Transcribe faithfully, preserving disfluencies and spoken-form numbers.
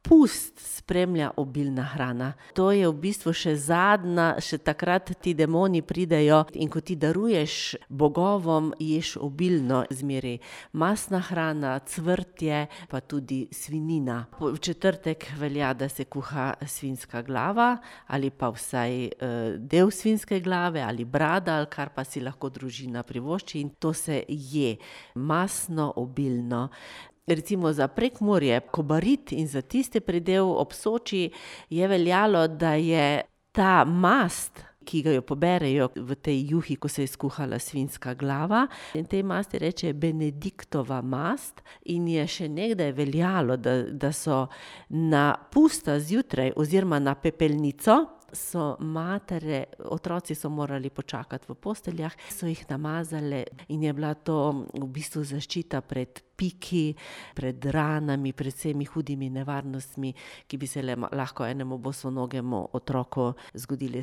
pust spremlja obilna hrana. To je v bistvu še zadnja, še takrat ti demoni pridejo in ko ti daruješ bogovom, ješ obilno zmeraj. Mastna hrana, cvrtje, pa tudi svinjina. V četrtek velja, da se kuha svinjska glava ali pa vsaj eh, del svinjske glave ali brada, ali kar pa si lahko družina privošči in to se je mastno, obilno. Recimo za Prekmurje, Kobarid in za tiste predel ob Soči je veljalo, da je ta mast, ki ga jo poberejo v tej juhi, ko se je skuhala svinjska glava, in tej masti reče Benediktova mast in je še nekdaj veljalo, da, da so na pusta zjutraj oziroma na pepelnico so matere, otroci so morali počakati v posteljah, so jih namazale in je bila to v bistvu zaščita pred piki, pred ranami, pred vsemi hudimi nevarnostmi, ki bi se le lahko enemu bosonogemu otroku zgodili.